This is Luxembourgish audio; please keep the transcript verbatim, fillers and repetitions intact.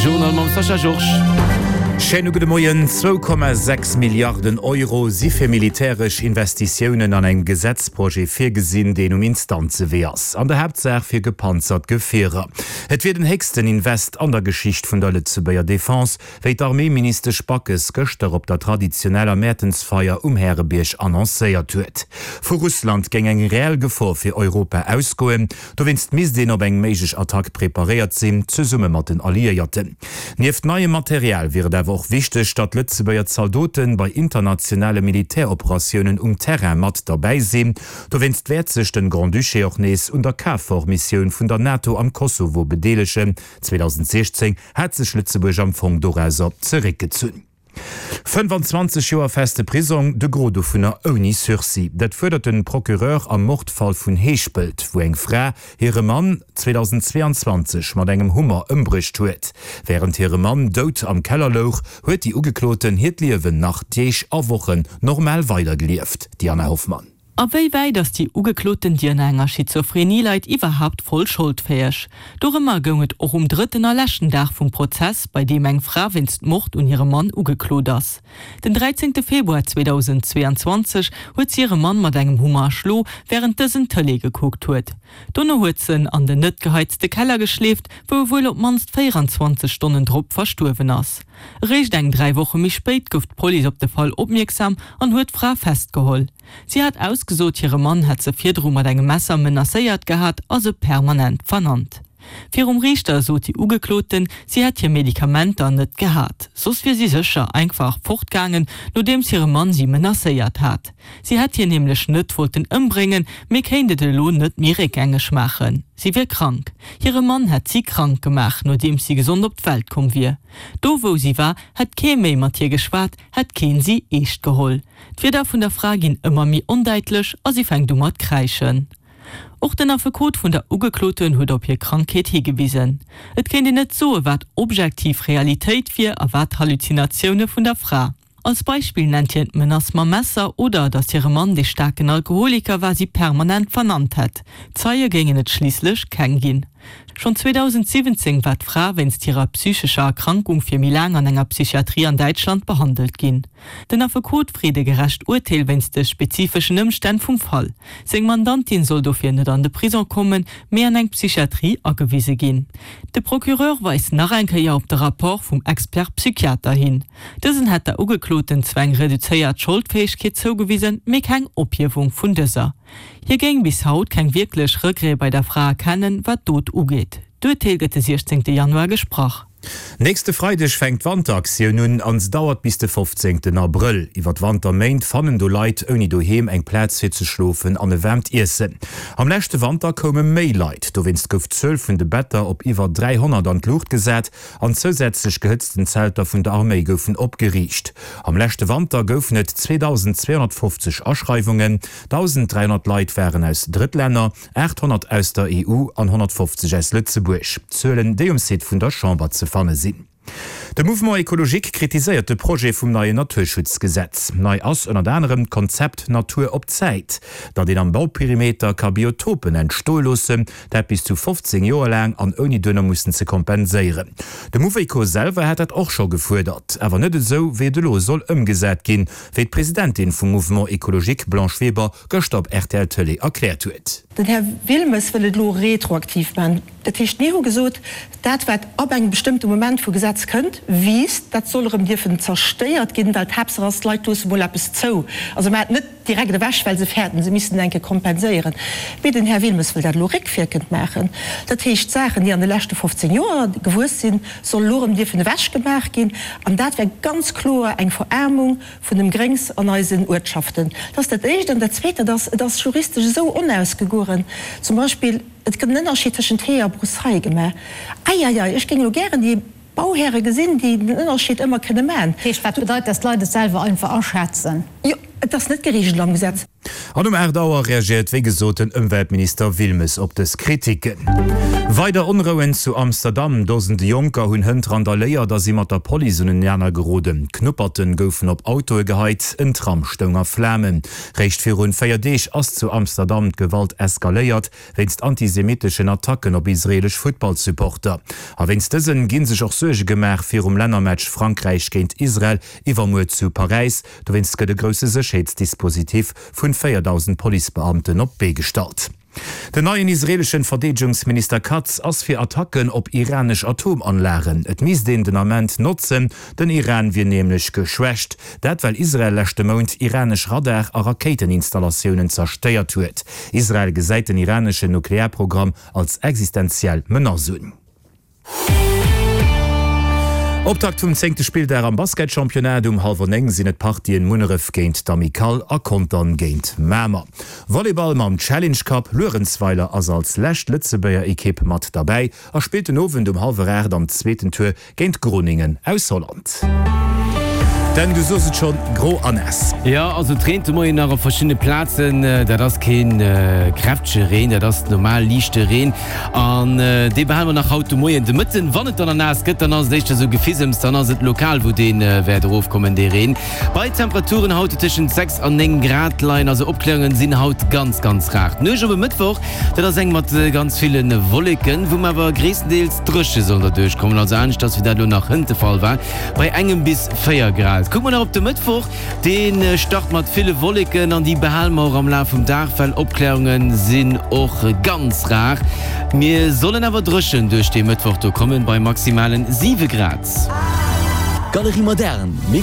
Journal mam Sascha Georges. Schéine gudde Moien. Zwou Komma sechs Milliarden Euro si fir militäresch Investitiounen an engem Gesetzprojet virgesinn, deen um Instanzewee ass. An der Haaptsaach fir gepanzert Gefierer. Et wier den héchsten Invest an der Geschicht vun der Lëtzebuerger Defense, wéi d'Arméiministesch Backes gëschter op der traditioneller Mäertensfeier um Härebierg annoncéiert huet. Vu Russland géing eng reell Gefor fir Europa ausgoen, dowéinst misst een op eng méiglech Attack preparéiert sinn, zesumme mat den Alliéierten. Nieft neiem Material wier et awer och wichteg, datt Lëtzebuerger Zaldote bei internationale Militäroperatiounen um Terrain mat derbäi sinn. Dowéinst wäert sech den Grand-Duché och nees un der KFOR-Missioun vun der NATO am Kosovo bedeelegen. zweedausendsechzéng hat sech Lëtzebuerg am Fong dorauser zeréckgezunn. fënnefanzwanzeg Joer feste Prisong, de Gros dovunner ouni Sursis. Dat fuerdert den Procureur am Mordfall vun Heeschpelt, wou eng Fra hire Mann zweedausendzweeanzwanzeg mat engem Hummer ëmbruecht huet. Wärend hire Mann dout am Keller louch, huet déi Ugekloten hiert Liewen nach Deeg a Wochen normal weidergelieft. Diana Hoffmann. A wéi wäit ass déi Ugekloten, déi ënner enger Schizophrenie leit, iwwerhaapt voll scholdfäeg? Dorëmmer goung et och um drëtten a leschten Dag vum Prozess, bei deem eng Fra wéinst Mord un hirem Mann ugeklot ass. Den dräizéngte Februar zweedausendzweeanzwanzeg huet si hire Mann mat engem Hummer erschlo, wärend dësen Tëlee gekuckt huet. Dono huet se en an den net geheizte Keller geschleeft, wou e wuel op d'mannst véieranzwanzeg Stonnen drop verstuerwen ass. Eréischt eng dräi Woche méi spéit gouf d'Police op de Fall opmierksam an huet d'Fra festgeholl. Si hat ausgesot, hire Mann hätt se virdru mat engem Messer menacéiert gehat a se permanent vernannt. Virum Riichter sot déi Ugekloten, si hätt hir Medikamenter net gehat, soss wier si sécher einfach fortgaangen, nodeems hire Mann si menacéiert hat. Si hätt hien nämlech net wollten ëmbréngen, mee kéint et elo net méi réckgängeg maachen. Si wier krank. Hire Mann hätt si krank gemaach, nodeems si gesond op d'Welt komm wier. Do wou si war, hätt kee méi mat hir geschwat, hätt keen si eescht geholl. D'Wierder vun der Fra ginn ëmmer méi ondäitlech a si fänkt u mat kräischen. Och den Affekot vun der Ugekloten huet op hir Krankheet higewisen. Et kéint een net soe wat objektiv Realitéit wier a wat Halluzinatioune vun der Fra. Als Beispill nennt hien d'Menace mam Messer oder datt hire Mann, dee staarken Alkoholiker war, si permanent vernannt hätt. Zeie géingen et schliisslech keng ginn. Schonn zweedausendsiwwenzéng war d'Fra wéinst hirer psychescher Erkrankung fir méi laang an enger Psychiatrie an Däitschland behandelt ginn. Den Affekot freet e gerecht Urteel wéinst de spezifeschen Ëmstänn vum Fall. Seng Mandantin soll dofir net an de Prisong kommen, mee an eng Psychiatrie agewise ginn. De Procureur weist nach eng Kéier op de Rapport vum Expert-Psychiater hin. Dësen hätt der Ugekloten zwar eng reduzéiert Scholdfäegkeet zougewisen, mee keng Ophiewung vun dëser. Hie géing bis haut keng wierklech Regrete bei der Fra erkennen, wat d'Dot ugeet. D'Urteel gëtt de siechzéngte Januar gesprach. Nächste Freideg fänkt d'Wanteraktioun un an se dauert bis de fofzéngten Abrëll. Iwwer d'Wanterméint fannen do Leit ouni Doheem eng Plaz fir ze schlofen an e waarmt Iessen. Am leschte Wanter koume méi Leit, dowéinst gouf d'Zuel vun de Better op iwwer dräihonnert an d'Luucht gesat an zousätzlech gehëtzten Zelter vun der Arméi goufen opgeriicht. Am leschte Wanter goufen et zweedausendzweehonnertfofzeg Aschreiwungen, dausenddräihonnert Leit waren aus Drëttlänner, aathonnert aus der E U an honnertfofzeg aus Lëtzebuerg. Zuelen, déi um Site vun der Chamber ze fanne sinn. De Mouvement Ecologique kritiséiert de Projet vum neien Naturschutzgesetz. Nei ass ënnert anerem d'Konzept Natur op Zäit, datt een am Bauperimeter ka Biotopen entstoe loossen, dat bis zu fofzéng Joer laang an ouni duerno mussen ze kompenséieren. De Mouveco selwer hat dat och scho gefuerdert, awer net esou, wéi et elo soll ëmgesat ginn, wéi d'Presidentin vum Mouvement Ecologique Blanche Weber gëschter op R T L Tëlee erkläert huet. Den Här Wilmes wëll et elo retroaktiv maachen. Dat heescht, mir hu gesot, dat wat ab engem bestëmmte Moment vu Gesetz kënnt, wiisst, dat soll erëm dierfen zerstéiert ginn, well d'Haaptsaach ass, d'Leit loosse mol eppes zou. Also maacht net direkt ewech, well se fäerten, se missten enke kompenséieren. Mee den Här Wilmes wëll dat elo réckwierkend maachen. Dat heescht, Saachen, déi an de leschte fofzéng Joer gewuess sinn, soll elo erëm dierfen ewechgemaach ginn. An dat wär ganz kloer eng Veraarmung vun dem Gréngs an eisen Uertschaften. Dat ass dat Éischt. An dat Zweet, dat ass, et ass juristesch esou onausgegoren. Zum Beispill, et gëtt en Ënnerscheed tëschent Hee a Broussaille gemaach. Eieiei, ech géing elo gären déi Bauhäre gesinn, déi den Ënnerscheed ëmmer kënne maachen. Heescht, wat bedeit, dass d'Leit et selwer einfach aschätzen? Jo, et ass net gereegelt am Gesetz. An um aacht Auer reagéiert wéi gesot den Ëmweltminister Wilmes op dës Kritiken. Weider Onrouen zu Amsterdam, Dosende Jonker hunn hënt randaléiert a si mat der Police unenaner geroden. Knupperten goufen op Autoe geheit, en Tram stoung a Flamen. Réischt virun véier Deeg ass zu Amsterdam d'Gewalt eskaléiert, wéinst antisemitteschen Attacken op israelesch Futtballsupporter. A wéinst dësen gi sech och Suerge gemaach virum Lännermatch Frankräich géint Israel iwwermuer zu Paräis. Dowéinst gëtt e grousse Sécherheetsdispositif vun véierdausend Policebeamten op d'Bee gestallt. Den neien israeleschen Verdeedegungsminister Katz ass fir Attacken op iranesch Atomanlagen. Et misst een den Ament notzen, den Iran wier nämlech geschwächt. Dat well Israel leschte Mount iranesch Radar a Rakéiteninstallatioune zerstéiert huet. Israel gesäit den iraneschen Nuklearprogramm als existenziell Menace un. Optakt vum zéngte Spilldag am Basketchampionnat, Um hallwer néng sinn et d'Partien Munneref géint d'Amicale a Contern géint Mamer. Volleyball mam Challenge Cup, Luerenzweiler ass als lescht Lëtzebuerger Ekipp mat derbäi a spillt den Owend um hallwer aacht am zweeten Tour géint Groningen aus Holland. Dan, du sos et schonn, gro a naass. Jo, also et reent de Moien nach op verschiddene Plazen. Dat ass keen kräftege Reen, dat ass normal liichte Reen an dee behale mer nach haut de Moien. De Mëtten, wann et dann naass gëtt, dann ass et éischter sou Gefissems, dann ass et lokal, wou dee wäert erofkommen, dee Reen. Bei Temperaturen haut, déi tëschent sechs an néng Grad leien. Also Opklärungen sinn haut ganz, ganz rar. D'Nuecht op e Mëttwoch, dat ass eng mat ganz ville Wolleken, wou mer awer gréisstendeels dréche soll derduerch kommen, also aneschters wéi dat elo nach hënt de Fall war, bei engem bis véier Grad. Kucke mer nach op de Mëttwoch, dee start mat ville Wolleken an déi behale mer och am Laf vum Dag, well Opklärunge sinn och ganz rar. Mir sollen awer dréchen duerch dee Mëttwoch do kommen, bei maximalen siwe Grad. Galerie Moderne, mir.